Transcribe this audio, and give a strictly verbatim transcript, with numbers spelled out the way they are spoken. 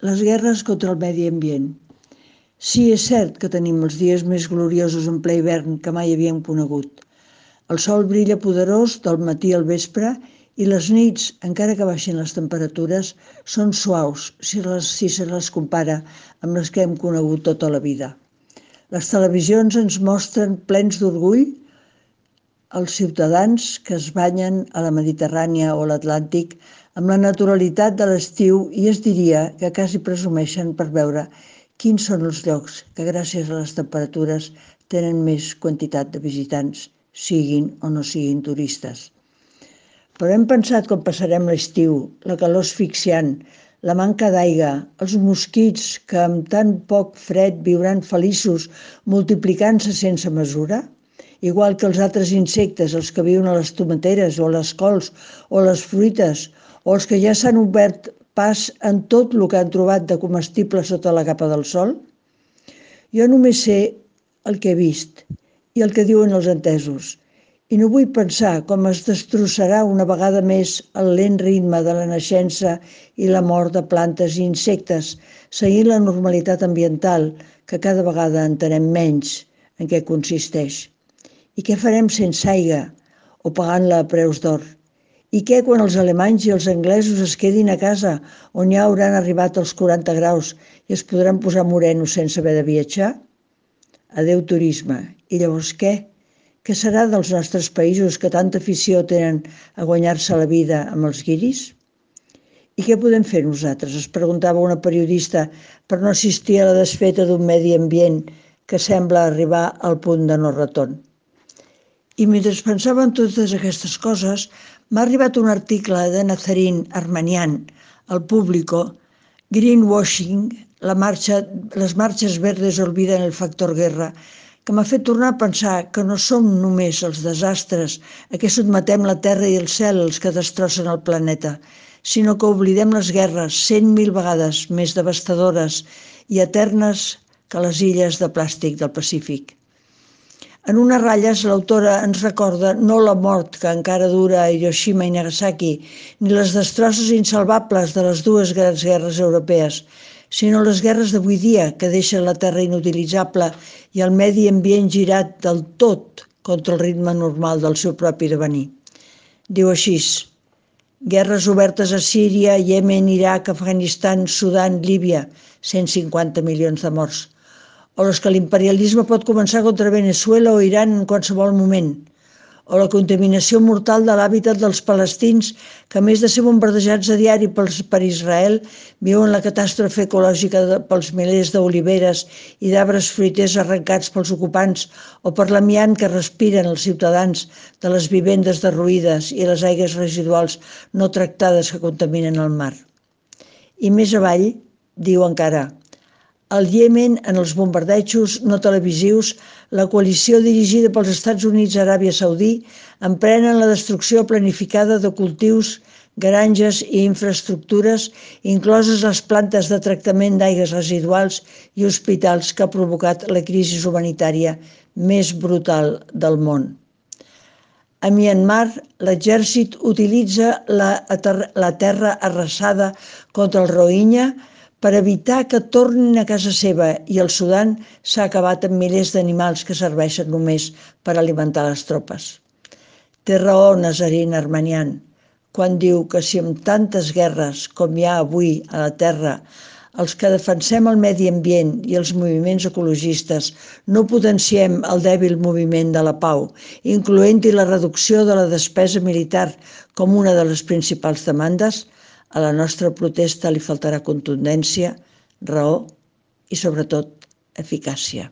Les guerres contra el medi ambient. Sí, és cert que tenim els dies més gloriosos en ple hivern que mai havíem conegut. El sol brilla poderós del matí al vespre i les nits, encara que baixin les temperatures, són suaus si, les, si se les compara amb les que hem conegut tota la vida. Les televisions ens mostren plens d'orgull els ciutadans que es banyen a la Mediterrània o a l'Atlàntic amb la naturalitat de l'estiu i es diria que quasi presumeixen per veure quins són els llocs que gràcies a les temperatures tenen més quantitat de visitants, siguin o no siguin turistes. Però hem pensat com passarem l'estiu, la calor asfixiant, la manca d'aigua, els mosquits que amb tan poc fred viuran feliços multiplicant-se sense mesura? Igual que els altres insectes, els que viuen a les tomateres o a les cols o a les fruites, o els que ja s'han obert pas en tot el que han trobat de comestible sota la capa del sol? Jo només sé el que he vist i el que diuen els entesos, i no vull pensar com es destrossarà una vegada més el lent ritme de la naixença i la mort de plantes i insectes, seguint la normalitat ambiental que cada vegada entenem menys en què consisteix. I què farem sense aigua o pagant-la a preus d'or? I què quan els alemanys i els anglesos es quedin a casa on ja hauran arribat els quaranta graus i es podran posar morenos sense haver de viatjar? Adéu turisme. I llavors què? Què serà dels nostres països que tanta afició tenen a guanyar-se la vida amb els guiris? I què podem fer nosaltres? Es preguntava una periodista per no assistir a la desfeta d'un medi ambient que sembla arribar al punt de no retorn. I mentre pensava en totes aquestes coses, m'ha arribat un article de Nazarin Armanian al Público, Greenwashing, la marxa, les marxes verdes olviden el factor guerra, que m'ha fet tornar a pensar que no som només els desastres a què sotmetem la terra i el cel els que destrossen el planeta, sinó que oblidem les guerres cent mil vegades més devastadores i eternes que les illes de plàstic del Pacífic. En unes ratlles, l'autora ens recorda no la mort que encara dura a Hiroshima i Nagasaki, ni les destrosses insalvables de les dues grans guerres europees, sinó les guerres d'avui dia que deixen la terra inutilitzable i el medi ambient girat del tot contra el ritme normal del seu propi devenir. Diu així: guerres obertes a Síria, Iemen, Iraq, Afganistan, Sudan, Líbia, cent cinquanta milions de morts. O les que l'imperialisme pot començar contra Veneçuela o Iran en qualsevol moment. O la contaminació mortal de l'hàbitat dels palestins que, a més de ser bombardejats a diari per Israel, viuen la catàstrofe ecològica pels milers d'oliveres i d'arbres fruiters arrencats pels ocupants o per l'amiant que respiren els ciutadans de les vivendes derruïdes i les aigües residuals no tractades que contaminen el mar. I més avall, diu encara: al Iemen, en els bombardejos no televisius, la coalició dirigida pels Estats Units i Aràbia Saudí emprenen la destrucció planificada de cultius, granges i infraestructures, incloses les plantes de tractament d'aigües residuals i hospitals que ha provocat la crisi humanitària més brutal del món. A Myanmar, l'exèrcit utilitza la, la terra arrasada contra el Rohingya per evitar que tornin a casa seva, i el Sudan s'ha acabat amb milers d'animals que serveixen només per alimentar les tropes. Té raó Nazarin Armanian quan diu que si amb tantes guerres com hi ha avui a la Terra, els que defensem el medi ambient i els moviments ecologistes no potenciem el dèbil moviment de la pau, incloent-hi la reducció de la despesa militar com una de les principals demandes, a la nostra protesta li faltarà contundència, raó i, sobretot, eficàcia.